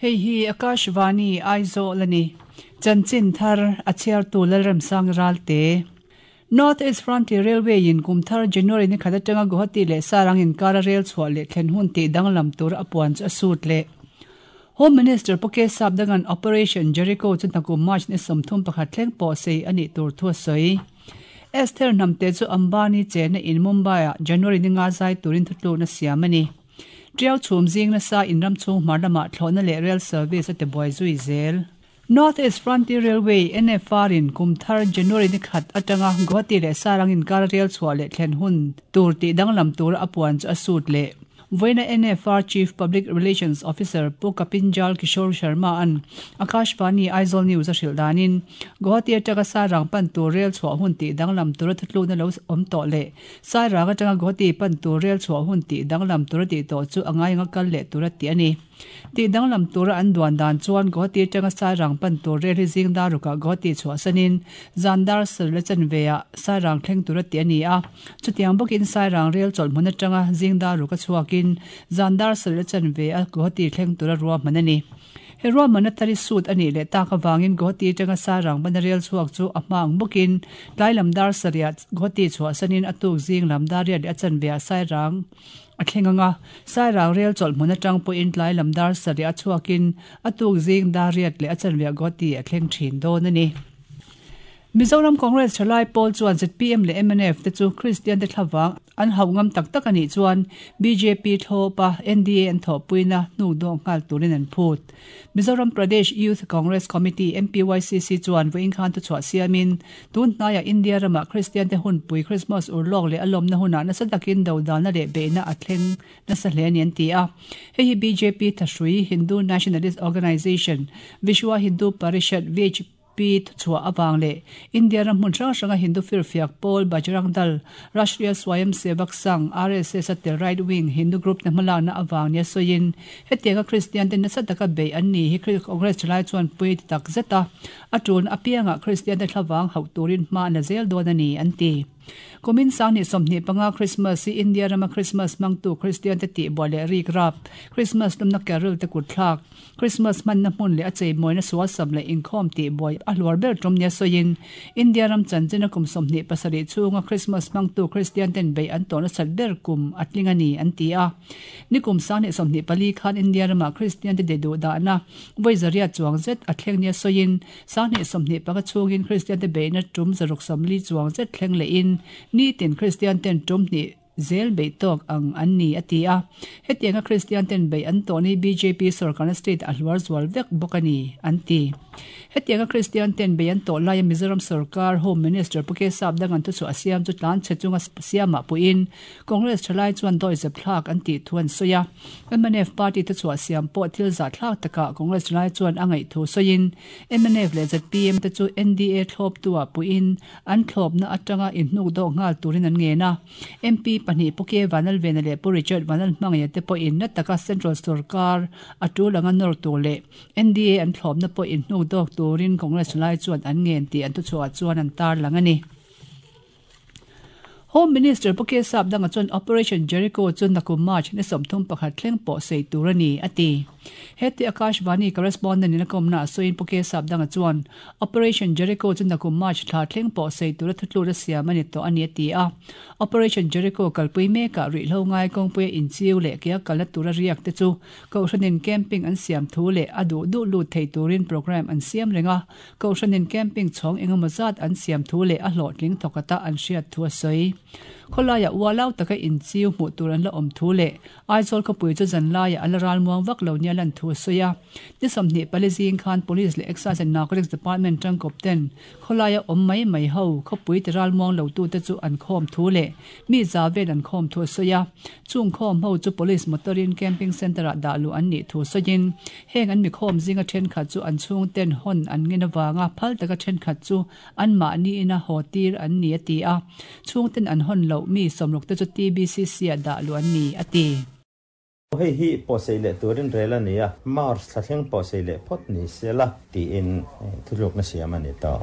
Hei hi Akashvani Aizawl a ni. Chanchin thar a chhiartu Lalremsang Ralte. North East Frontier Railway in kum thar January ni khat atanga Guwahati leh Sarang inkara rel chhuah leh thlen hun tih danglam tur a puan chu a sut leh. Home Minister Pu K Sapdanga'n Operation Jericho chu hnakum March ni 31 thleng pawh sei a nih tur thu a sawi. Esther Hnamte chu Ambani chenna in Mumbai-ah January ni nga zai turin thutlukna siam a ni. Tiau chhum zing nasa in ram chhung hmar lamah thlawhna leh rail service a ti buai zui zel. North East Frontier Railway, NFR, in kum thar January ni khat atanga Guwahati leh Sarang inkar rail chhuah leh thlen hun tur tih danglam tura a puan chu a sut leh. Vawiina NFR Chief Public Relations Officer Pu Kapinjal Kishore Sharma an Akashvani Aizawl News a hrilh danin Guwahati atanga Sairang pan tur rail chhuah hun tih danglam tura thutlukna lo awm tawh leh Sairang atanga Guwahati pan tur rel chhuah hun tih danglam tura tih tawh chu a ngai anga kal leh tura tih a ni. Tih danglam tura an duan dan chuan Guwahati atanga Sairang pan tur rel hi zing dar rukah Guwahati chhuahsanin zan dar sarih la chanveah Sairang thleng tura tih a ni a. Chutiang bawkin Sairang rel chawlhhmun atanga zing dar ruka chhuakin zan dar sarih la chanveah Guwahati thleng tura ruahman a ni. He ruahmanna thar hi suit a nih leh tak avangin Guwahati atanga Sarang bana rel chhuak chu a hma ang bawkin tlai lam dar sarihah Guwahati chhuahsanin a tuk zing lam dar riat leh a chanveah Sairang a thleng ang a, Sairang rel chawlh hmun atang pawhin tlai lam dar sarihah chhuakin a tuk zing dar riat leh a chanveah Guwahati a thleng thin dawn a ni. Mizoram Congress thalai pawl chuan zpm leh mnf te chu Kristian te thlavang an hauh ngam tak tak a nih chuan bjp thlawpa NDA an thawhpuina hnuk dawk nghal turin an phut. Mizoram Pradesh Youth Congress Committee, MPYCC, chuan vawiin khan thuchhuah siamin tun hnaiah India ramah Kristian te hunpui Christmas urlawk leh a lawmna hunah nasa takin dodalna leh beihna a thleng nasa hle a ni an ti a. Hei hi bjp thahrui Hindu Nationalist Organisation, Vishwa Hindu Parishad, VHP, Pi thuchhuah avang leh India ram hmun hrang hranga Hindu firfiak pawl Bajrang Dal, Rashtriya Swayam Sevak Sangh, RSS, a tel right wing Hindu group te hmalakna avang nia sawiin hetianga Kristian te nasa taka beih an ni hi Congress thalai chuan pui ti tak zet a, a tulna apiangah Kristian te thlavang hauh turin hma an la zel dawn a ni an ti. Kumin 2025 Christmas hi India rama Christmas hmangtu Kristian te tihbuai leh rik rap, Christmas lumna carol te kutthlak, Christmas hmanna hmun leh a cheimawina sualsam leh inkhawm tihbuai a hluar ber tum nia sawiin, India ram chanchina kum 27 chhunga Christmas hmangtu Kristian ten beih an tawh nasat ber kum a tling a ni, an ti a. Nikum 2024 khan India ramah Kristian te de duh dahna vawi zariat chuang zet a thleng nia sawiin, 2025 chhungin Kristian te beihna tum 140 chuang zet thleng lehin nitin Kristian ten tum hnih zel beih tawk ang an ni, a ti a. Hetianga Kristian ten beih an tawh ni bjp sorkarna state a hluar zual vek bawk a ni, an ti. Hetianga Kristian ten beih an tawh laia Mizoram sorkar Home Minister Pu K Sapdangan thuchhuah a siam chu tlan chhe chunga siamah puiin Congress thalai chuan dawihzep thlak an tih thu an sawi a. Mnf party thuchhuah siam pawh thil zahthlak takah Congress thalai chuan a ngaih thu sawiin mnf leh zpm te chu NDA thlawptuah puiin an thlawpna atanga inhnuk dawk nghal turin an ngen a. MP pahnih Pu K Vanlalvena leh Pu Richard Vanlalhmangaia te pawhin na taka Central sorkar a tul anga nawr tur leh NDA an thlawpna pawh inhnuk dawk turin Congress lai chuan an ngen tih an thuchhuah chuan an tarlang a ni. Home Minister Pu K Sapdanga chuan Operation Jericho chu nakum March ni 31 thleng pawh sei tur a ni, a ti. Heti Akashvani correspondent in a kawmna a sawiin Pu K Sapdanga chuan Operation Jericho chu nakum March thla thleng pawh sei tura thutlura siam a ni tawh a ni a ti a. Operation Jericho kalpui mekah ruihhlo ngai kawngpuia inchiu leh ke a kalna tura riak te chu Kohhranin camping an siam thu leh a duh duh lut thei turin programme an siam reng a. Kohhranin camping chhawng engemaw zat an siam thu leh a hlawhtling thawkata an hriat thu a sawi. Khawlaiah ualau taka inchiu hmuh tur an la awm thu leh Aizawl khawpui chu zan laiah a la ralmuang vak lo nia lan thu a sawi a. Ni 24 zing khan Police leh Excise and Narcotics Department tangkawp ten khawlaia awm mai mai ho khawpui ti ralmuang lo tute chu an khawm thu leh mi za vel an khawm thu a sawi a. Chung khawm ho chu Police motor in Camping Centre ah dah luh an nih thu sawiin heng an mi khawm zinga thenkhat chu an chhungten hawn an ngen avanga phal taka thenkhat chu Anmahni ina haw tir an ni a ti a, chhungten an hawn loh mi sawmruk te chu TBCC ah dah luh an ni a ti. Hei hi pawhsei leh turin rel a ni a, March thla thleng pawhsei leh phawt ni se la tiin thutlukna siam a ni tawh.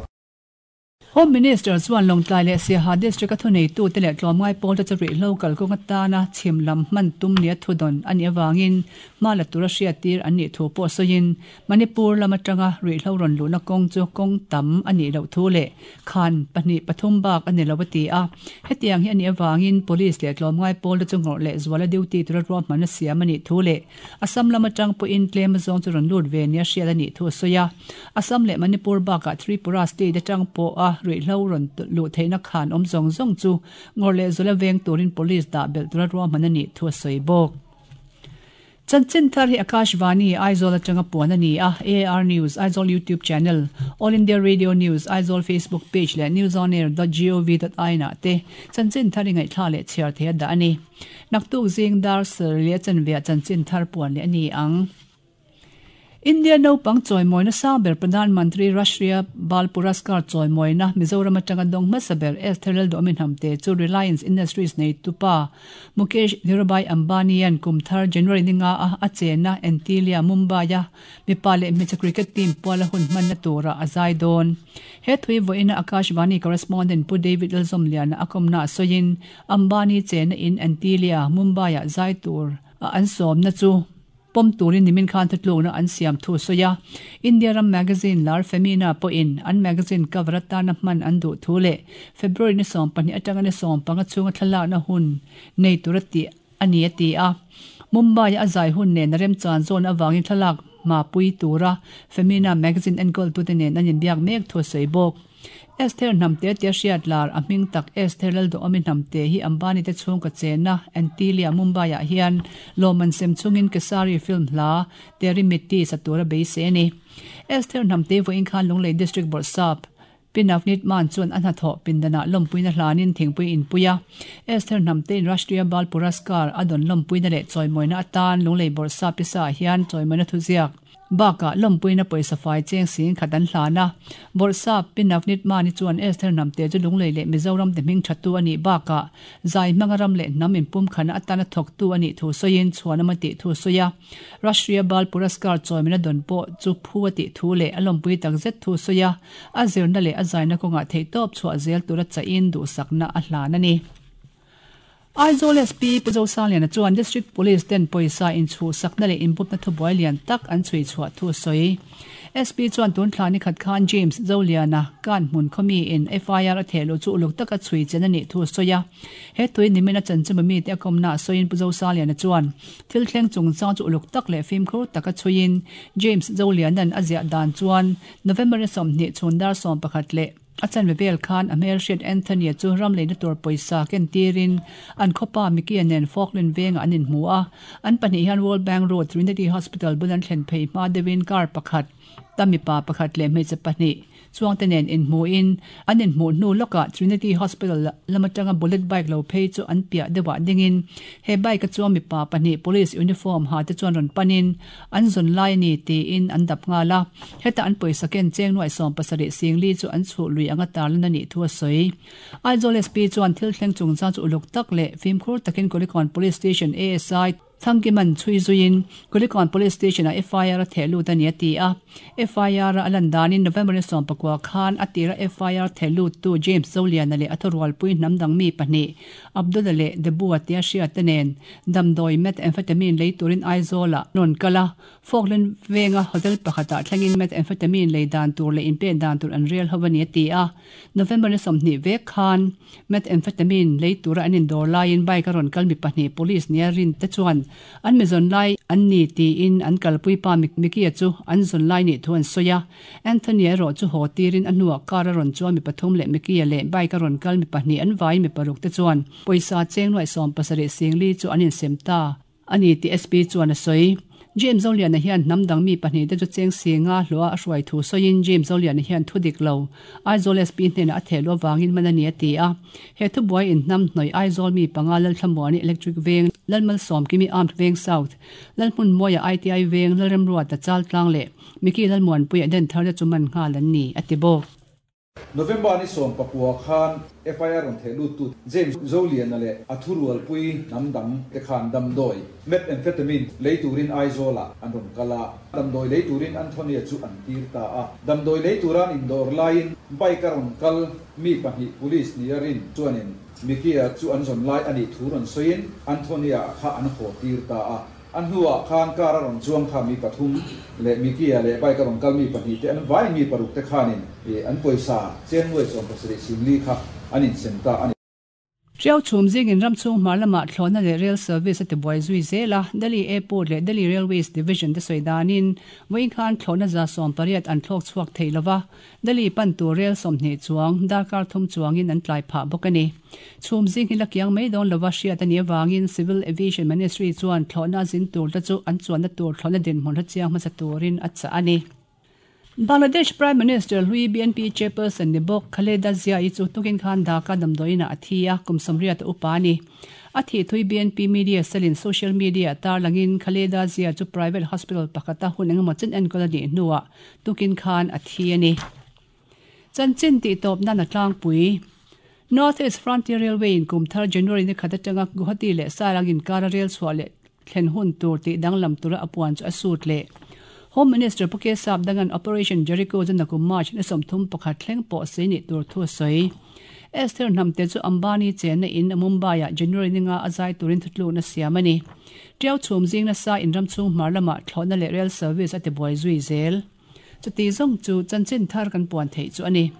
Home Minister chuan Lawngtlai leh Siaha District-a thuneitute leh tlawmngai pawlte chu ruihhlo kalkawng atana chhim lam hman tum nia thudawn a nih avangin hma la tura hriattir an nih thu pawh sawiin Manipur lam atanga ruihhlo rawn luhna kawng chu kawng tam a nih loh thu leh khan pahnih pathum bak a ni lo a ti a. Hetiang hi a nih avangin Police leh tlawmngai pawlte chu ngawrh leh zuala duty tura ruahmanna siam a nih thu leh Assam lam atang pawhin tlem azawng chu rawn lut ve nia hriat a nih thu a sawi a. Assam leh Manipur bakah Tripura state atang pawha ruihhlo rawn luh theihna khan awm zawng zawng chu ngawrh leh zuala veng turin police dah belh tura ruahman a nih thu a sawi bawk. Chanchin thar hi Akashvani, Aizawl atanga puan a ni a, AAR News, Aizawl YouTube channel, All India Radio News, Aizawl Facebook page leh newsonair dot gov dot in ah te chanchin thar i ngaihthla leh chhiar thei a dah a ni. Naktuk zing dar sarih leh chanveah chanchin thar puan leh a ni ang. India naupang chawimawina sang ber Pradhan Mantri Rashtriya Bal Puraskar chawimawina Mizoram atanga dawng hmasa ber Esther Lalduhawmi Hnamte chu Reliance Industries neitupa Mukesh Dhirubhai Ambani-a'n kum thar January ni nga a a chenna Antilia, Mumbai-a mipa leh hmeichhe cricket team puala hun hmanna turah a zai dawn. He thui vawiina Akashvani correspondent Pu David Lalzawmliana a kawmna a sawiin Ambani chenna in Antilia, Mumbai-ah zai tur a an sawmna chu pawm turin nimin khan thutlukna an siam thu a sawi a. India ram magazine lar Femina pawhin an magazine cover atana hman an duh thu leh February ni 12 atanga ni 15 chhunga thlalakna hun nei tura tih a ni a ti a. Mumbai-a a zai hun nen a remchan zawn avangin thlalak hmapui tura Femina magazine enkawltute nen an inbiak mek thu a sawi bawk. Esther Hnamte tia hriat lar a hming tak Esther Lalduhawmi Hnamte hi Ambani te chhungkaw chenna Antilia, Mumbai-ah hian lawmman sem chungin Kesari film hla Teri Mitti sa tura beisei a ni. Esther Hnamte vawiin khan Lunglei District Bawrhsap Pi Navneet Mann chuan a hnathawh pindanah lawmpuina hlanin thingpui inpui a. Esther Hnamtein Rashtriya Bal Puraskar a dawn lawmpuina leh chawimawina atan Lunglei Bawrhsap Pisa hian chawimawina thuziak Bakah lawmpuina pawisa fai cheng sing khat an hlan a. Bawrhsap Pi Navneet Mani chuan Esther Hnamte chu Lunglei leh Mizoram te hming thattu a nih bakah zai hmanga ram leh hnam inpumkhatna atana thawktu a nih thu sawiin chhuanawm a tih thu a sawi a. Rashtriya Bal Puraskar chawimena dawn pawh chu phu a tih thu leh a lawmpui takzet thu a sawi a. A zirna leh a zaina kawngah theihtawp chhuah zel tura chahin duhsakna a hlan a ni. Aizawl SP Pu Zosangliana chuan District Police ten pawisa inchhuhsakna leh inbupna thubuai lian tak an chhui chhuah thu a sawi. SP chuan tun thla ni khat khan James Zoliana kan hmun khawmi in FIR a theh luh chu uluk taka chhui chen a nih thu a sawi a. He tui nimin a chanchinba mite a kawmna a sawiin Pu Zosaliana chuan thil thleng chungchang chu uluk tak leh fimkhur taka chhuiin James Zoliana'n a ziah dan chuan November ni 20 chhun dar 11 leh A chanve vel khan a hmelhriat Anthony-a chu ram leina tur pawisa ken tirin an khawpa Mickey-a nen Falkland vengah an inhmu a. An pahnih hian World Bank Road Trinity Hospital bul an thlen phei hma deuhin car pakhat, ta mipa pakhat leh hmeichhe pahnih chuangte nen inhmuin an inhmuh hnu lawkah Trinity Hospital lam atanga bullet bike lo phei chu an piah deuhah dingin he bike-a chuang mipa pahnih police uniform ha te chuan rawn panin An zawn lai a ni tiin an dap nghal a, heta an pawisa ken cheng nuaih 70 singli chu an chhuh lui anga tarlan a nih thu a sawi. Aizawl SP chuan thil thleng chungchang chu uluk tak leh fimkhur takin Kulikawn Police Station ASI Thangkiman chhui zuiin Kulikawn Police Station-ah FIR a theh lut a ni a ti a. FIR-a a lan danin November ni 19 khan a tira FIR theh luttu James Zoliana leh a thurualpui hnam dang mi pahnih Abdullah leh Debua tia hriat te nen damdawi methamphetamine lei turin Aizawl-ah rawn kal a, Falkland venga hotel pakhatah thlengin methamphetamine lei dan tur leh inpek dan tur an rel ho a ni a ti a. November ni 20 vek khan methamphetamine lei tura an indawr laiin bike a rawn kal mi pahnih police nia rin te chuan an mi zawn lai an ni tiin an kalpui pa Mickey-a chu an zawn lai nih thu an sawi a. Anthony erawh chu haw tirin a hnuah car a rawn chuan mi pathum leh Mickey-a leh bike a rawn kal mi pahnih an vaiin mi paruk te chuan pawisa cheng nuaih 70 singli chu an insem ta a ni tih SP chuan a sawi. James Zoliana hian hnam dang mi pahnih te chu cheng singa hlawha a hruai thu sawiin James Zoliana hian thu dik lo Aizawl SP hnenah a theh luh avangin man a ni a ti a. He thubuai inhnam hnawih Aizawl mi panga Lalthlamuani Electric Veng, Lalmalsawmkimi Armed Veng South, Lalhmunmawia ITI Veng, Lalremruata Chaltlang leh Mickey Lalmuanpuia den thar te chu man nghal an ni, a ti bawk. November ni 19 khan FIR rawn theh luttu James Zoliana leh a thurualpui hnam dang te khan damdawi, Methamphetamine, lei turin Aizawlah an rawn kal a, damdawi lei turin Anthony-a chu an tir ta a. Damdawi lei tura an indawr laiin bike-a rawn kal mi pahnih police nia rin chuanin Mickey-a chu an zawn lai a nih thu rawn sawiin Anthony-a kha an haw tir ta a. A hnuah khan car a rawn chuang kha mi pathum leh Mickey-a leh bike a rawn kal mi pahnih te an vaiin mi paruk te khanin an pawisa chen nuai 70 singli kha an insem ta a ni. Ṭiau chhum zingin ram chhung hmar lamah thlawhna leh rail service a tibuai zui zel a, Delhi Airport leh Delhi Railways Division te sawi danin vawiin khan thlawhna 180 an thlawk chhuak thei lova, Delhi pan tur rel 20 chuang darkar thum chuangin an tlai phah bawk a ni. Chhum zing hi la kiang mai dawn lova hriat a nih avangin Civil Aviation Ministry chuan thlawhna zin tur te chu an chuanna tur thlawhna dinhmun hrechiang hmasa turin a chah a ni. Bangladesh Prime Minister hlui BNP Chairperson ni bawk Khaleda Zia-i chu tukin khan Dhaka damdawiinah a thi a, kum 80 a upa a ni. A thih thui BNP media cell-in social media-ah tarlangin Khaleda Zia chu private hospital pakhata hun engemaw chen enkawl a nih hnuah Tukin khan a thi a ni. Chanchin tih tawp nan a tlangpui. North East Frontier Railway in kum thar January ni khat atanga Guwahati leh Sairang inkara rel chhuah leh thlen hun tur tih danglam tura a puan chu a sut leh. Home Minister Pu Kesap Dangan Operation Jericho chu nakum March ni 31 thleng pawh sei nih tur thu a sawi. Esther Hnamte chu Ambani chenna in Mumbai ah January ni nga a zai turin thutlukna siam a ni. Ṭiau chhum zing nasa in ram chhung hmar lamah thlawhna leh rail service a tibuai zui zel. Chuti zawng chu chanchin thar kan puan theih chu a ni.